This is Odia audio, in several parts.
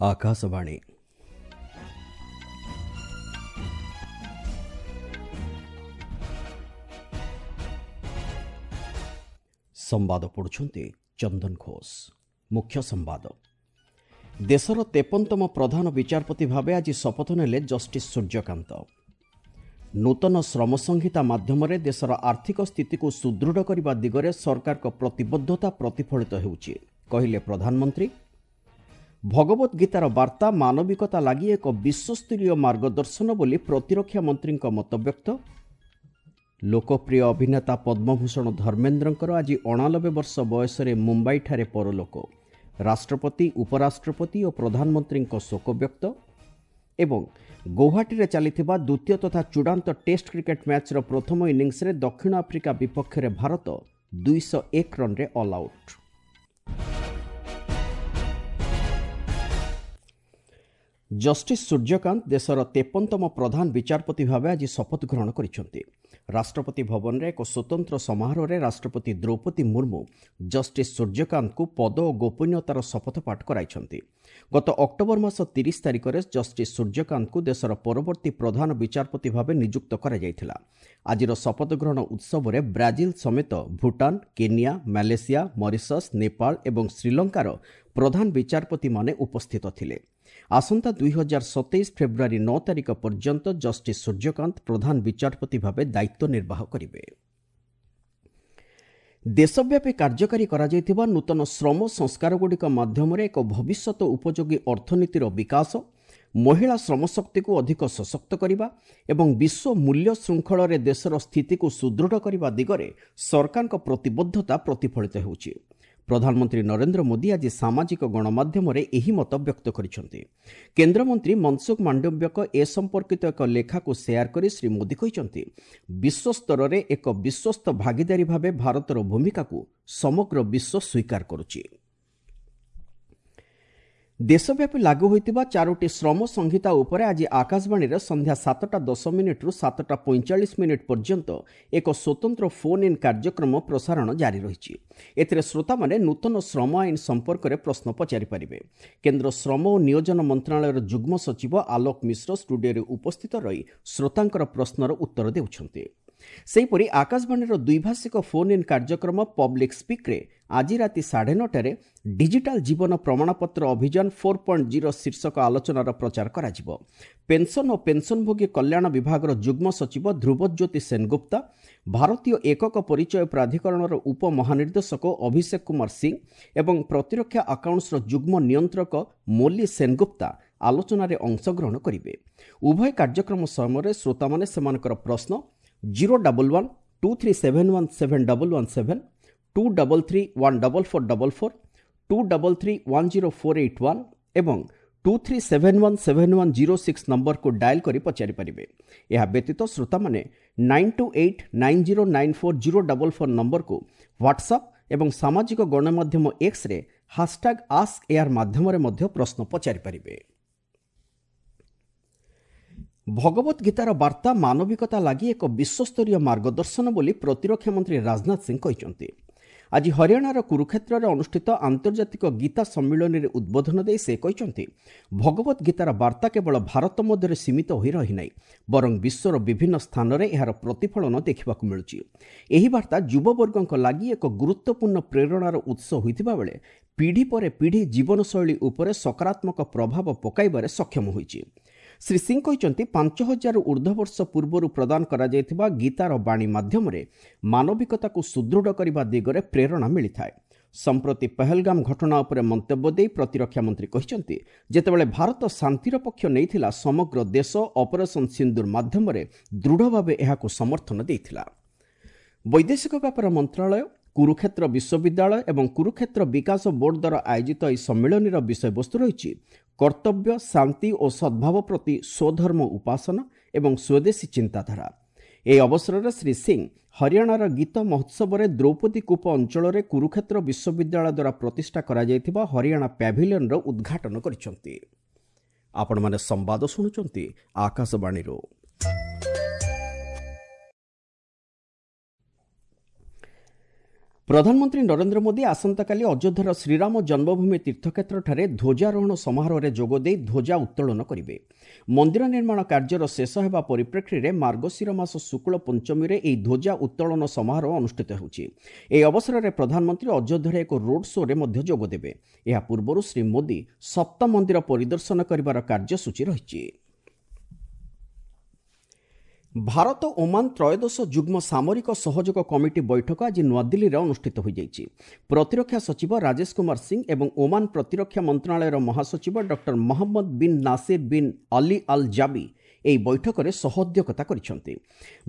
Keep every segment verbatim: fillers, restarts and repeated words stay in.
ଆକାଶବାଣୀ। ସମ୍ବାଦ ପଢ଼ୁଛନ୍ତି ଚନ୍ଦନ ଘୋଷ। ମୁଖ୍ୟ ସମ୍ବାଦ। ଦେଶର ତେପନତମ ପ୍ରଧାନ ବିଚାରପତି ଭାବେ ଆଜି ଶପଥ ନେଲେ ଜଷ୍ଟିସ୍ ସୂର୍ଯ୍ୟକାନ୍ତ। ନୂତନ ଶ୍ରମ ସଂହିତା ମାଧ୍ୟମରେ ଦେଶର ଆର୍ଥିକ ସ୍ଥିତିକୁ ସୁଦୃଢ଼ କରିବା ଦିଗରେ ସରକାରଙ୍କ ପ୍ରତିବଦ୍ଧତା ପ୍ରତିଫଳିତ ହେଉଛି, କହିଲେ ପ୍ରଧାନମନ୍ତ୍ରୀ। ଭଗବତ ଗୀତାର ବାର୍ତ୍ତା ମାନବିକତା ଲାଗି ଏକ ବିଶ୍ୱସ୍ତରୀୟ ମାର୍ଗଦର୍ଶନ ବୋଲି ପ୍ରତିରକ୍ଷା ମନ୍ତ୍ରୀଙ୍କ ମତବ୍ୟକ୍ତ। ଲୋକପ୍ରିୟ ଅଭିନେତା ପଦ୍ମଭୂଷଣ ଧର୍ମେନ୍ଦ୍ରଙ୍କର ଆଜି ଅଣାନବେ ବର୍ଷ ବୟସରେ ମୁମ୍ବାଇଠାରେ ପରଲୋକ। ରାଷ୍ଟ୍ରପତି, ଉପରାଷ୍ଟ୍ରପତି ଓ ପ୍ରଧାନମନ୍ତ୍ରୀଙ୍କ ଶୋକବ୍ୟକ୍ତ। ଏବଂ ଗୌହାଟୀରେ ଚାଲିଥିବା ଦ୍ୱିତୀୟ ତଥା ଚୂଡ଼ାନ୍ତ ଟେଷ୍ଟ କ୍ରିକେଟ୍ ମ୍ୟାଚ୍ର ପ୍ରଥମ ଇନିଂସରେ ଦକ୍ଷିଣ ଆଫ୍ରିକା ବିପକ୍ଷରେ ଭାରତ ଦୁଇଶହ ଏକ ରନ୍ରେ ଅଲ୍ ଆଉଟ୍। ଜଷ୍ଟିସ୍ ସୂର୍ଯ୍ୟକାନ୍ତ ଦେଶର ତେପନତମ ପ୍ରଧାନ ବିଚାରପତି ଭାବେ ଆଜି ଶପଥ ଗ୍ରହଣ କରିଛନ୍ତି। ରାଷ୍ଟ୍ରପତି ଭବନରେ ଏକ ସ୍ୱତନ୍ତ୍ର ସମାରୋହରେ ରାଷ୍ଟ୍ରପତି ଦ୍ରୌପଦୀ ମୁର୍ମୁ ଜଷ୍ଟିସ୍ ସୂର୍ଯ୍ୟକାନ୍ତଙ୍କୁ ପଦ ଓ ଗୋପନୀୟତାର ଶପଥ ପାଠ କରାଇଛନ୍ତି। ଗତ ଅକ୍ଟୋବର ମାସ ତିରିଶ ତାରିଖରେ ଜଷ୍ଟିସ୍ ସୂର୍ଯ୍ୟକାନ୍ତଙ୍କୁ ଦେଶର ପରବର୍ତ୍ତୀ ପ୍ରଧାନ ବିଚାରପତି ଭାବେ ନିଯୁକ୍ତ କରାଯାଇଥିଲା। ଆଜିର ଶପଥ ଗ୍ରହଣ ଉତ୍ସବରେ ବ୍ରାଜିଲ ସମେତ Bhutan, Kenya, Malaysia, Mauritius, Nepal ଏବଂ ଶ୍ରୀଲଙ୍କାର ପ୍ରଧାନ ବିଚାରପତିମାନେ ଉପସ୍ଥିତ ଥିଲେ। ଆସନ୍ତା ଦୁଇ ହଜାର ସତେଇଶ ଫେବୃଆରୀ ନଅ ତାରିଖ ପର୍ଯ୍ୟନ୍ତ ଜଷ୍ଟିସ୍ ସୂର୍ଯ୍ୟକାନ୍ତ ପ୍ରଧାନ ବିଚାରପତି ଭାବେ ଦାୟିତ୍ୱ ନିର୍ବାହ କରିବେ। ଦେଶବ୍ୟାପୀ କାର୍ଯ୍ୟକାରୀ କରାଯାଇଥିବା ନୂତନ ଶ୍ରମ ସଂସ୍କାରଗୁଡ଼ିକ ମାଧ୍ୟମରେ ଏକ ଭବିଷ୍ୟତ ଉପଯୋଗୀ ଅର୍ଥନୀତିର ବିକାଶ, ମହିଳା ଶ୍ରମଶକ୍ତିକୁ ଅଧିକ ସଶକ୍ତ କରିବା ଏବଂ ବିଶ୍ୱ ମୂଲ୍ୟ ଶୃଙ୍ଖଳରେ ଦେଶର ସ୍ଥିତିକୁ ସୁଦୃଢ଼ କରିବା ଦିଗରେ ସରକାରଙ୍କ ପ୍ରତିବଦ୍ଧତା ପ୍ରତିଫଳିତ ହେଉଛି। ପ୍ରଧାନମନ୍ତ୍ରୀ ନରେନ୍ଦ୍ର ମୋଦି ଆଜି ସାମାଜିକ ଗଣମାଧ୍ୟମରେ ଏହି ମତ ବ୍ୟକ୍ତ କରିଛନ୍ତି। କେନ୍ଦ୍ରମନ୍ତ୍ରୀ ମନସୁଖ ମାଣ୍ଡବ୍ୟଙ୍କ ଏ ସମ୍ପର୍କିତ ଏକ ଲେଖାକୁ ସେୟାର କରି ଶ୍ରୀ ମୋଦି କହିଛନ୍ତି, ବିଶ୍ୱସ୍ତରରେ ଏକ ବିଶ୍ୱସ୍ତ ଭାଗିଦାରୀ ଭାବେ ଭାରତର ଭୂମିକାକୁ ସମଗ୍ର ବିଶ୍ୱ ସ୍ୱୀକାର କରୁଛି। ଦେଶବ୍ୟାପୀ ଲାଗୁ ହୋଇଥିବା ଚାରୋଟି ଶ୍ରମ ସଂହିତା ଉପରେ ଆଜି ଆକାଶବାଣୀରେ ସନ୍ଧ୍ୟା ସାତଟା ଦଶ ମିନିଟ୍ରୁ ସାତଟା ପଇଁଚାଳିଶ ମିନିଟ୍ ପର୍ଯ୍ୟନ୍ତ ଏକ ସ୍ୱତନ୍ତ୍ର ଫୋନ୍ ଇନ୍ କାର୍ଯ୍ୟକ୍ରମ ପ୍ରସାରଣ ଜାରି ରହିଛି। ଏଥିରେ ଶ୍ରୋତାମାନେ ନୂତନ ଶ୍ରମ ଆଇନ ସମ୍ପର୍କରେ ପ୍ରଶ୍ନ ପଚାରିପାରିବେ। କେନ୍ଦ୍ର ଶ୍ରମ ଓ ନିୟୋଜନ ମନ୍ତ୍ରଣାଳୟର ଯୁଗ୍ମ ସଚିବ ଆଲୋକ ମିଶ୍ର ଷ୍ଟୁଡିଓରେ ଉପସ୍ଥିତ ରହି ଶ୍ରୋତାଙ୍କର ପ୍ରଶ୍ନର ଉତ୍ତର ଦେଉଛନ୍ତି। ସେହିପରି ଆକାଶବାଣୀର ଦ୍ୱିଭାଷିକ ଫୋନ୍ ଇନ୍ କାର୍ଯ୍ୟକ୍ରମ ପବ୍ଲିକ୍ ସ୍ପିକ୍ରେ ଆଜି ରାତି ସାଢ଼େ ନଅଟାରେ ଡିଜିଟାଲ ଜୀବନ ପ୍ରମାଣପତ୍ର ଅଭିଯାନ ଫୋର୍ ପଏଣ୍ଟ ଜିରୋ ଶୀର୍ଷକ ଆଲୋଚନାର ପ୍ରଚାର କରାଯିବ। ପେନ୍ସନ୍ ଓ ପେନ୍ସନ୍ଭୋଗୀ କଲ୍ୟାଣ ବିଭାଗର ଯୁଗ୍ମ ସଚିବ ଧ୍ରୁବଜ୍ୟୋତି ସେନଗୁପ୍ତା, ଭାରତୀୟ ଏକକ ପରିଚୟ ପ୍ରାଧିକରଣର ଉପମହାନିର୍ଦ୍ଦେଶକ ଅଭିଷେକ କୁମାର ସିଂ ଏବଂ ପ୍ରତିରକ୍ଷା ଆକାଉଣ୍ଟସର ଯୁଗ୍ମ ନିୟନ୍ତ୍ରକ ମୋଲି ସେନଗୁପ୍ତା ଆଲୋଚନାରେ ଅଂଶଗ୍ରହଣ କରିବେ। ଉଭୟ କାର୍ଯ୍ୟକ୍ରମ ସମୟରେ ଶ୍ରୋତାମାନେ ସେମାନଙ୍କର ପ୍ରଶ୍ନ zero double one two three seven one seven double one seven, two double three one double four double four, two double three one zero four eight one ଏବଂ two three seven one seven one zero six ନମ୍ବରକୁ ଡାଏଲ୍ କରି ପଚାରିପାରିବେ। ଏହା ବ୍ୟତୀତ ଶ୍ରୋତାମାନେ nine two eight nine zero nine four zero double four ନମ୍ବରକୁ ହ୍ୱାଟ୍ସଆପ୍ ଏବଂ ସାମାଜିକ ଗଣମାଧ୍ୟମ ଏକ୍ସରେ ହାସଟ୍ୟାଗ୍ ଆସ୍କ ଏୟାର ମାଧ୍ୟମରେ ମଧ୍ୟ ପ୍ରଶ୍ନ ପଚାରିପାରିବେ। ଭଗବତ ଗୀତାର ବାର୍ତ୍ତା ମାନବିକତା ଲାଗି ଏକ ବିଶ୍ୱସ୍ତରୀୟ ମାର୍ଗଦର୍ଶନ ବୋଲି ପ୍ରତିରକ୍ଷା ମନ୍ତ୍ରୀ ରାଜନାଥ ସିଂ କହିଛନ୍ତି। ଆଜି ହରିୟାଣାର କୁରୁକ୍ଷେତ୍ରରେ ଅନୁଷ୍ଠିତ ଆନ୍ତର୍ଜାତିକ ଗୀତା ସମ୍ମିଳନୀରେ ଉଦ୍ବୋଧନ ଦେଇ ସେ କହିଛନ୍ତି, ଭଗବତ ଗୀତାର ବାର୍ତ୍ତା କେବଳ ଭାରତ ମଧ୍ୟରେ ସୀମିତ ହୋଇ ରହିନାହିଁ, ବରଂ ବିଶ୍ୱର ବିଭିନ୍ନ ସ୍ଥାନରେ ଏହାର ପ୍ରତିଫଳନ ଦେଖିବାକୁ ମିଳୁଛି। ଏହି ବାର୍ତ୍ତା ଯୁବବର୍ଗଙ୍କ ଲାଗି ଏକ ଗୁରୁତ୍ୱପୂର୍ଣ୍ଣ ପ୍ରେରଣାର ଉତ୍ସ ହୋଇଥିବା ବେଳେ ପିଢ଼ି ପରେ ପିଢ଼ି ଜୀବନଶୈଳୀ ଉପରେ ସକାରାତ୍ମକ ପ୍ରଭାବ ପକାଇବାରେ ସକ୍ଷମ ହୋଇଛି। ଶ୍ରୀ ସିଂ କହିଛନ୍ତି, ପାଞ୍ଚ ହଜାରରୁ ଉର୍ଦ୍ଧ୍ୱ ବର୍ଷ ପୂର୍ବରୁ ପ୍ରଦାନ କରାଯାଇଥିବା ଗୀତାର ବାଣୀ ମାଧ୍ୟମରେ ମାନବିକତାକୁ ସୁଦୃଢ଼ କରିବା ଦିଗରେ ପ୍ରେରଣା ମିଳିଥାଏ। ସମ୍ପ୍ରତି ପହଲଗାମ ଘଟଣା ଉପରେ ମନ୍ତବ୍ୟ ଦେଇ ପ୍ରତିରକ୍ଷା ମନ୍ତ୍ରୀ କହିଛନ୍ତି, ଯେତେବେଳେ ଭାରତ ଶାନ୍ତିର ପକ୍ଷ ନେଇଥିଲା, ସମଗ୍ର ଦେଶ ଅପରେସନ୍ ସିନ୍ଦୁର ମାଧ୍ୟମରେ ଦୃଢ଼ ଭାବେ ଏହାକୁ ସମର୍ଥନ ଦେଇଥିଲା। ବୈଦେଶିକ ବ୍ୟାପାର ମନ୍ତ୍ରଣାଳୟ, କୁରୁକ୍ଷେତ୍ର ବିଶ୍ୱବିଦ୍ୟାଳୟ ଏବଂ କୁରୁକ୍ଷେତ୍ର ବିକାଶ ବୋର୍ଡ ଦ୍ୱାରା ଆୟୋଜିତ ଏହି ସମ୍ମିଳନୀର ବିଷୟବସ୍ତୁ ରହିଛି କର୍ତ୍ତବ୍ୟ, ଶାନ୍ତି ଓ ସଦ୍ଭାବ ପ୍ରତି ସ୍ୱଧର୍ମ ଉପାସନା ଏବଂ ସ୍ୱଦେଶୀ ଚିନ୍ତାଧାରା। ଏହି ଅବସରରେ ଶ୍ରୀ ସିଂ ହରିୟାଣାର ଗୀତ ମହୋତ୍ସବରେ ଦ୍ରୌପଦୀ କୂପ ଅଞ୍ଚଳରେ କୁରୁକ୍ଷେତ୍ର ବିଶ୍ୱବିଦ୍ୟାଳୟ ଦ୍ୱାରା ପ୍ରତିଷ୍ଠା କରାଯାଇଥିବା ହରିୟାଣା ପ୍ୟାଭିଲିୟନର ଉଦ୍ଘାଟନ କରିଛନ୍ତି। ଆପଣମାନେ ସମ୍ବାଦ ଶୁଣୁଛନ୍ତି ଆକାଶବାଣୀରୁ। ପ୍ରଧାନମନ୍ତ୍ରୀ ନରେନ୍ଦ୍ର ମୋଦି ଆସନ୍ତାକାଲି ଅଯୋଧ୍ୟାର ଶ୍ରୀରାମ ଜନ୍ମଭୂମି ତୀର୍ଥକ୍ଷେତ୍ରଠାରେ ଧ୍ୱଜାରୋହଣ ସମାରୋହରେ ଯୋଗଦେଇ ଧ୍ୱଜା ଉତ୍ତୋଳନ କରିବେ। ମନ୍ଦିର ନିର୍ମାଣ କାର୍ଯ୍ୟର ଶେଷ ହେବା ପରିପ୍ରେକ୍ଷୀରେ ମାର୍ଗଶିର ମାସ ଶୁକ୍ଳ ପଞ୍ଚମୀରେ ଏହି ଧ୍ୱଜା ଉତ୍ତୋଳନ ସମାରୋହ ଅନୁଷ୍ଠିତ ହେଉଛି। ଏହି ଅବସରରେ ପ୍ରଧାନମନ୍ତ୍ରୀ ଅଯୋଧ୍ୟାରେ ଏକ ରୋଡ୍ ଶୋରେ ମଧ୍ୟ ଯୋଗଦେବେ। ଏହା ପୂର୍ବରୁ ଶ୍ରୀ ମୋଦି ସପ୍ତ ମନ୍ଦିର ପରିଦର୍ଶନ କରିବାର କାର୍ଯ୍ୟସୂଚୀ ରହିଛି। ଭାରତ ଓମାନ ତ୍ରୟୋଦଶ ଯୁଗ୍ମ ସାମରିକ ସହଯୋଗ କମିଟି ବୈଠକ ଆଜି ନୂଆଦିଲ୍ଲୀରେ ଅନୁଷ୍ଠିତ ହୋଇଯାଇଛି। ପ୍ରତିରକ୍ଷା ସଚିବ ରାଜେଶ କୁମାର ସିଂ ଏବଂ ଓମାନ ପ୍ରତିରକ୍ଷା ମନ୍ତ୍ରଣାଳୟର ମହାସଚିବ doctor Mohammed bin Nasser bin Ali Al Zaabi ଏହି ବୈଠକରେ ସହଅଧ୍ୟକ୍ଷତା କରିଛନ୍ତି।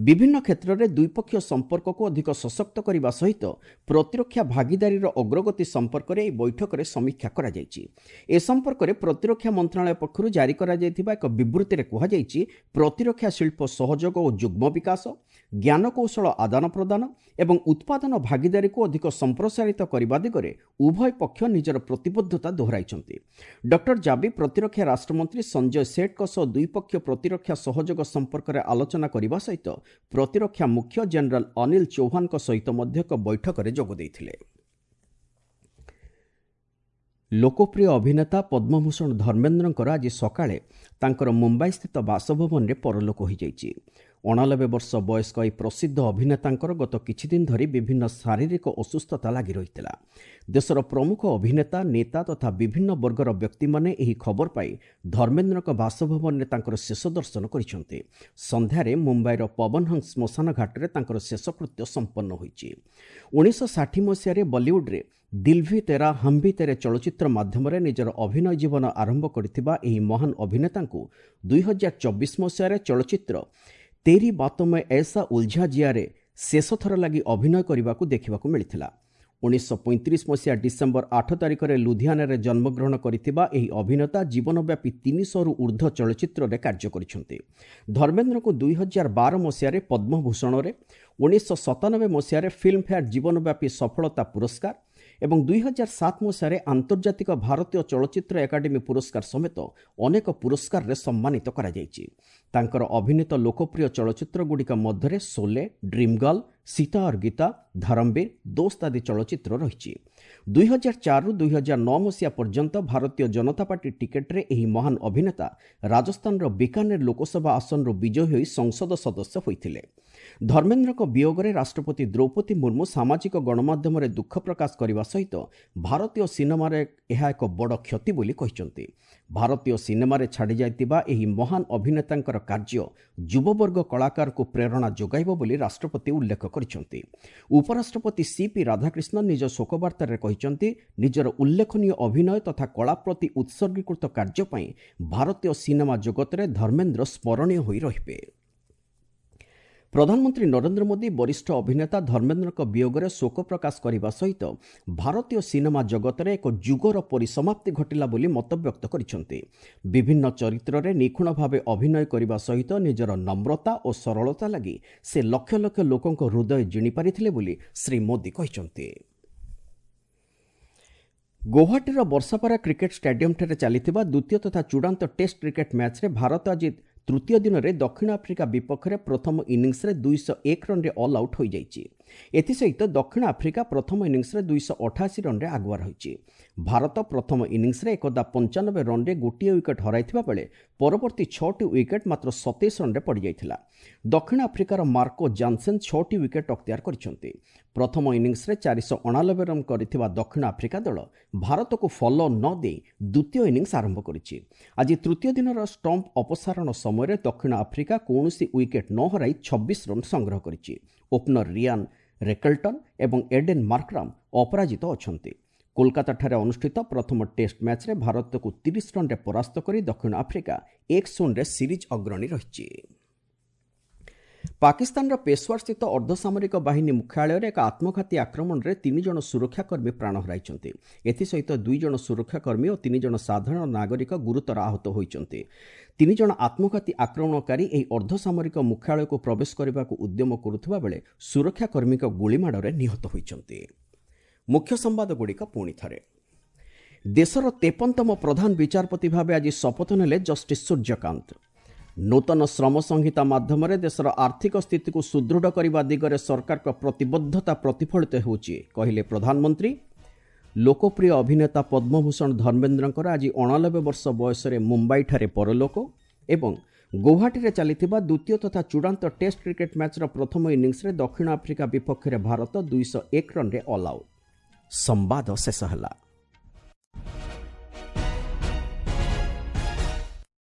ବିଭିନ୍ନ କ୍ଷେତ୍ରରେ ଦ୍ୱିପକ୍ଷୀୟ ସମ୍ପର୍କକୁ ଅଧିକ ସଶକ୍ତ କରିବା ସହିତ ପ୍ରତିରକ୍ଷା ଭାଗିଦାରୀର ଅଗ୍ରଗତି ସମ୍ପର୍କରେ ଏହି ବୈଠକରେ ସମୀକ୍ଷା କରାଯାଇଛି। ଏ ସମ୍ପର୍କରେ ପ୍ରତିରକ୍ଷା ମନ୍ତ୍ରଣାଳୟ ପକ୍ଷରୁ ଜାରି କରାଯାଇଥିବା ଏକ ବିବୃତ୍ତିରେ କୁହାଯାଇଛି, ପ୍ରତିରକ୍ଷା ଶିଳ୍ପ ସହଯୋଗ ଓ ଯୁଗ୍ମ ବିକାଶ, ଜ୍ଞାନକୌଶଳ ଆଦାନ ପ୍ରଦାନ ଏବଂ ଉତ୍ପାଦନ ଭାଗିଦାରୀକୁ ଅଧିକ ସମ୍ପ୍ରସାରିତ କରିବା ଦିଗରେ ଉଭୟ ପକ୍ଷ ନିଜର ପ୍ରତିବଦ୍ଧତା ଦୋହରାଇଛନ୍ତି। ଡକ୍ଟର ଜାବି ପ୍ରତିରକ୍ଷା ରାଷ୍ଟ୍ରମନ୍ତ୍ରୀ ସଞ୍ଜୟ ସେଠଙ୍କ ସହ ଦ୍ୱିପକ୍ଷୀୟ ପ୍ରତିରକ୍ଷା ସହଯୋଗ ସମ୍ପର୍କରେ ଆଲୋଚନା କରିବା ସହିତ ପ୍ରତିରକ୍ଷା ମୁଖ୍ୟ ଜେନେରାଲ ଅନିଲ ଚୌହାନଙ୍କ ସହିତ ମଧ୍ୟ ଏକ ବୈଠକରେ ଯୋଗ ଦେଇଥିଲେ। ଲୋକପ୍ରିୟ ଅଭିନେତା ପଦ୍ମଭୂଷଣ ଧର୍ମେନ୍ଦ୍ରଙ୍କର ଆଜି ସକାଳେ ତାଙ୍କର ମୁମ୍ବାଇସ୍ଥିତ ବାସଭବନରେ ପରଲୋକ ହୋଇଯାଇଛି। ଅଣାନବେ ବର୍ଷ ବୟସ୍କ ଏହି ପ୍ରସିଦ୍ଧ ଅଭିନେତାଙ୍କର ଗତ କିଛିଦିନ ଧରି ବିଭିନ୍ନ ଶାରୀରିକ ଅସୁସ୍ଥତା ଲାଗି ରହିଥିଲା। ଦେଶର ପ୍ରମୁଖ ଅଭିନେତା, ନେତା ତଥା ବିଭିନ୍ନ ବର୍ଗର ବ୍ୟକ୍ତିମାନେ ଏହି ଖବର ପାଇ ଧର୍ମେନ୍ଦ୍ରଙ୍କ ବାସଭବନରେ ତାଙ୍କର ଶେଷ ଦର୍ଶନ କରିଛନ୍ତି। ସନ୍ଧ୍ୟାରେ ମୁମ୍ବାଇର ପବନହଂସ ଶ୍ମଶାନ ଘାଟରେ ତାଙ୍କର ଶେଷକୃତ୍ୟ ସମ୍ପନ୍ନ ହୋଇଛି। ଉଣେଇଶହ ଷାଠିଏ ମସିହାରେ ବଲିଉଡରେ ଦିଲ୍ ଭି ତେରା ହମ୍ ଭି ତେରେ ଚଳଚ୍ଚିତ୍ର ମାଧ୍ୟମରେ ନିଜର ଅଭିନୟ ଜୀବନ ଆରମ୍ଭ କରିଥିବା ଏହି ମହାନ ଅଭିନେତାଙ୍କୁ ଦୁଇହଜାର ଚବିଶ ମସିହାରେ ଚଳଚ୍ଚିତ୍ର ତେରି ବାତୋଁ ମେଁ ଏସା ଉଲଝା ଜିଆରେ ଶେଷଥର ଲାଗି ଅଭିନୟ କରିବାକୁ ଦେଖିବାକୁ ମିଳିଥିଲା। ଉଣେଇଶହ ପଇଁତିରିଶ ମସିହା ଡିସେମ୍ବର ଆଠ ତାରିଖରେ ଲୁଧିଆନାରେ ଜନ୍ମଗ୍ରହଣ କରିଥିବା ଏହି ଅଭିନେତା ଜୀବନବ୍ୟାପୀ ତିନିଶହରୁ ଉର୍ଦ୍ଧ୍ୱ ଚଳଚ୍ଚିତ୍ରରେ କାର୍ଯ୍ୟ କରିଛନ୍ତି। ଧର୍ମେନ୍ଦ୍ରଙ୍କୁ ଦୁଇହଜାର ବାର ମସିହାରେ ପଦ୍ମଭୂଷଣରେ, ଉଣେଇଶହ ସତାନବେ ମସିହାରେ ଫିଲ୍ମଫେୟାର ଜୀବନବ୍ୟାପୀ ସଫଳତା ପୁରସ୍କାର ଏବଂ ଦୁଇହଜାର ସାତ ମସିହାରେ ଆନ୍ତର୍ଜାତିକ ଭାରତୀୟ ଚଳଚ୍ଚିତ୍ର ଏକାଡେମୀ ପୁରସ୍କାର ସମେତ ଅନେକ ପୁରସ୍କାରରେ ସମ୍ମାନିତ କରାଯାଇଛି। ତାଙ୍କର ଅଭିନୀତ ଲୋକପ୍ରିୟ ଚଳଚ୍ଚିତ୍ରଗୁଡ଼ିକ ମଧ୍ୟରେ ସୋଲେ, ଡ୍ରିମ୍ ଗର୍ଲ, ସୀତା ଔର ଗୀତା, ଧରମବୀର, ଦୋସ୍ତ ଆଦି ଚଳଚ୍ଚିତ୍ର ରହିଛି। ଦୁଇହଜାର ଚାରିରୁ ଦୁଇହଜାର ନଅ ମସିହା ପର୍ଯ୍ୟନ୍ତ ଭାରତୀୟ ଜନତା ପାର୍ଟି ଟିକେଟରେ ଏହି ମହାନ ଅଭିନେତା ରାଜସ୍ଥାନର ବିକାନେର ଲୋକସଭା ଆସନରୁ ବିଜୟୀ ହୋଇ ସଂସଦ ସଦସ୍ୟ ହୋଇଥିଲେ। ଧର୍ମେନ୍ଦ୍ରଙ୍କ ବିୟୋଗରେ ରାଷ୍ଟ୍ରପତି ଦ୍ରୌପଦୀ ମୁର୍ମୁ ସାମାଜିକ ଗଣମାଧ୍ୟମରେ ଦୁଃଖ ପ୍ରକାଶ କରିବା ସହିତ ଭାରତୀୟ ସିନେମାରେ ଏହା ଏକ ବଡ଼ କ୍ଷତି ବୋଲି କହିଛନ୍ତି। ଭାରତୀୟ ସିନେମାରେ ଛାଡ଼ିଯାଇଥିବା ଏହି ମହାନ ଅଭିନେତାଙ୍କର କାର୍ଯ୍ୟ ଯୁବବର୍ଗ କଳାକାରଙ୍କୁ ପ୍ରେରଣା ଯୋଗାଇବ ବୋଲି ରାଷ୍ଟ୍ରପତି ଉଲ୍ଲେଖ କରିଛନ୍ତି। ଉପରାଷ୍ଟ୍ରପତି ସି ପି ରାଧାକ୍ରିଷ୍ଣନ ନିଜ ଶୋକବାର୍ତ୍ତାରେ କହିଛନ୍ତି, ନିଜର ଉଲ୍ଲେଖନୀୟ ଅଭିନୟ ତଥା କଳା ପ୍ରତି ଉତ୍ସର୍ଗୀକୃତ କାର୍ଯ୍ୟ ପାଇଁ ଭାରତୀୟ ସିନେମା ଜଗତରେ ଧର୍ମେନ୍ଦ୍ର ସ୍ମରଣୀୟ ହୋଇ ରହିବେ। ପ୍ରଧାନମନ୍ତ୍ରୀ ନରେନ୍ଦ୍ର ମୋଦି ବରିଷ୍ଠ ଅଭିନେତା ଧର୍ମେନ୍ଦ୍ରଙ୍କ ବିୟୋଗରେ ଶୋକ ପ୍ରକାଶ କରିବା ସହିତ ଭାରତୀୟ ସିନେମା ଜଗତରେ ଏକ ଯୁଗର ପରିସମାପ୍ତି ଘଟିଲା ବୋଲି ମତବ୍ୟକ୍ତ କରିଛନ୍ତି। ବିଭିନ୍ନ ଚରିତ୍ରରେ ନିଖୁଣ ଭାବେ ଅଭିନୟ କରିବା ସହିତ ନିଜର ନମ୍ରତା ଓ ସରଳତା ଲାଗି ସେ ଲକ୍ଷ ଲକ୍ଷ ଲୋକଙ୍କ ହୃଦୟ ଜିଣିପାରିଥିଲେ ବୋଲି ଶ୍ରୀ ମୋଦି କହିଛନ୍ତି। ଗୌହାଟୀର ବର୍ଷାପାରା କ୍ରିକେଟ୍ ଷ୍ଟାଡିୟମଠାରେ ଚାଲିଥିବା ଦ୍ୱିତୀୟ ତଥା ଚୂଡ଼ାନ୍ତ ଟେଷ୍ଟ କ୍ରିକେଟ୍ ମ୍ୟାଚ୍ରେ ଭାରତ ଆଜି ତୃତୀୟ ଦିନରେ ଦକ୍ଷିଣ ଆଫ୍ରିକା ବିପକ୍ଷରେ ପ୍ରଥମ ଇନିଂସରେ ଦୁଇଶହ ଏକ ରନ୍ରେ ଅଲ୍ ଆଉଟ୍ ହୋଇଯାଇଛି। ଏଥିସହିତ ଦକ୍ଷିଣ ଆଫ୍ରିକା ପ୍ରଥମ ଇନିଂସରେ ଦୁଇଶହ ଅଠାଅଶୀ ରନ୍ରେ ଆଗୁଆ ରହିଛି। ଭାରତ ପ୍ରଥମ ଇନିଂସରେ ଏକଦା ପଞ୍ଚାନବେ ରନ୍ରେ ଗୋଟିଏ ୱିକେଟ୍ ହରାଇଥିବା ବେଳେ ପରବର୍ତ୍ତୀ ଛଅଟି ୱିକେଟ୍ ମାତ୍ର ସତେଇଶ ରନ୍ରେ ପଡ଼ିଯାଇଥିଲା। ଦକ୍ଷିଣ ଆଫ୍ରିକାର ମାର୍କୋ ଜାନସେନ୍ ଛଅଟି ୱିକେଟ୍ ଅକ୍ତିଆର କରିଛନ୍ତି। ପ୍ରଥମ ଇନିଂସରେ ଚାରିଶହ ଅଣାନବେ ରନ୍ କରିଥିବା ଦକ୍ଷିଣ ଆଫ୍ରିକା ଦଳ ଭାରତକୁ ଫଲୋ ନ ଦେଇ ଦ୍ୱିତୀୟ ଇନିଂସ ଆରମ୍ଭ କରିଛି। ଆଜି ତୃତୀୟ ଦିନର ଷ୍ଟମ୍ପ ଅପସାରଣ ସମୟରେ ଦକ୍ଷିଣ ଆଫ୍ରିକା କୌଣସି ୱିକେଟ୍ ନ ହରାଇ ଛବିଶ ରନ୍ ସଂଗ୍ରହ କରିଛି। ଓପନର ରିଆନ୍ ରେକଲ୍ଟନ୍ ଏବଂ ଏଡେନ୍ ମାର୍କ୍ରାମ୍ ଅପରାଜିତ ଅଛନ୍ତି। କୋଲକାତାଠାରେ ଅନୁଷ୍ଠିତ ପ୍ରଥମ ଟେଷ୍ଟ ମ୍ୟାଚ୍ରେ ଭାରତକୁ ତିରିଶ ରନ୍ରେ ପରାସ୍ତ କରି ଦକ୍ଷିଣ ଆଫ୍ରିକା ଏକ ଶୂନରେ ସିରିଜ୍ ଅଗ୍ରଣୀ ରହିଛି। ପାକିସ୍ତାନର ପେଶୱାରସ୍ଥିତ ଅର୍ଦ୍ଧସାମରିକ ବାହିନୀ ମୁଖ୍ୟାଳୟରେ ଏକ ଆତ୍ମଘାତୀ ଆକ୍ରମଣରେ ତିନି ଜଣ ସୁରକ୍ଷାକର୍ମୀ ପ୍ରାଣ ହରାଇଛନ୍ତି। ଏଥିସହିତ ଦୁଇ ଜଣ ସୁରକ୍ଷାକର୍ମୀ ଓ ତିନି ଜଣ ସାଧାରଣ ନାଗରିକ ଗୁରୁତର ଆହତ ହୋଇଛନ୍ତି। ତିନି ଜଣ ଆତ୍ମଘାତୀ ଆକ୍ରମଣକାରୀ ଏହି ଅର୍ଦ୍ଧସାମରିକ ମୁଖ୍ୟାଳୟକୁ ପ୍ରବେଶ କରିବାକୁ ଉଦ୍ୟମ କରୁଥିବା ବେଳେ ସୁରକ୍ଷାକର୍ମୀଙ୍କ ଗୁଳିମାଡ଼ରେ ନିହତ ହୋଇଛନ୍ତି। ମୁଖ୍ୟ ସମ୍ବାଦଗୁଡ଼ିକ ପୁଣି ଥରେ। ଦେଶର ତେପନତମ ପ୍ରଧାନ ବିଚାରପତି ଭାବେ ଆଜି ଶପଥ ନେଲେ ଜଷ୍ଟିସ୍ ସୂର୍ଯ୍ୟକାନ୍ତ। ନୂତନ ଶ୍ରମ ସଂହିତା ମାଧ୍ୟମରେ ଦେଶର ଆର୍ଥିକ ସ୍ଥିତିକୁ ସୁଦୃଢ଼ କରିବା ଦିଗରେ ସରକାରଙ୍କ ପ୍ରତିବଦ୍ଧତା ପ୍ରତିଫଳିତ ହେଉଛି, କହିଲେ ପ୍ରଧାନମନ୍ତ୍ରୀ। ଲୋକପ୍ରିୟ ଅଭିନେତା ପଦ୍ମଭୂଷଣ ଧର୍ମେନ୍ଦ୍ରଙ୍କର ଆଜି ଅଣାନବେ ବର୍ଷ ବୟସରେ ମୁମ୍ବାଇଠାରେ ପରଲୋକ। ଏବଂ ଗୌହାଟୀରେ ଚାଲିଥିବା ଦ୍ୱିତୀୟ ତଥା ଚୂଡ଼ାନ୍ତ ଟେଷ୍ଟ କ୍ରିକେଟ୍ ମ୍ୟାଚ୍ର ପ୍ରଥମ ଇନିଂସରେ ଦକ୍ଷିଣ ଆଫ୍ରିକା ବିପକ୍ଷରେ ଭାରତ ଦୁଇଶହ ଏକ ରନ୍ରେ ଅଲ୍ ଆଉଟ୍। ସମ୍ବାଦ ଶେଷ ହେଲା।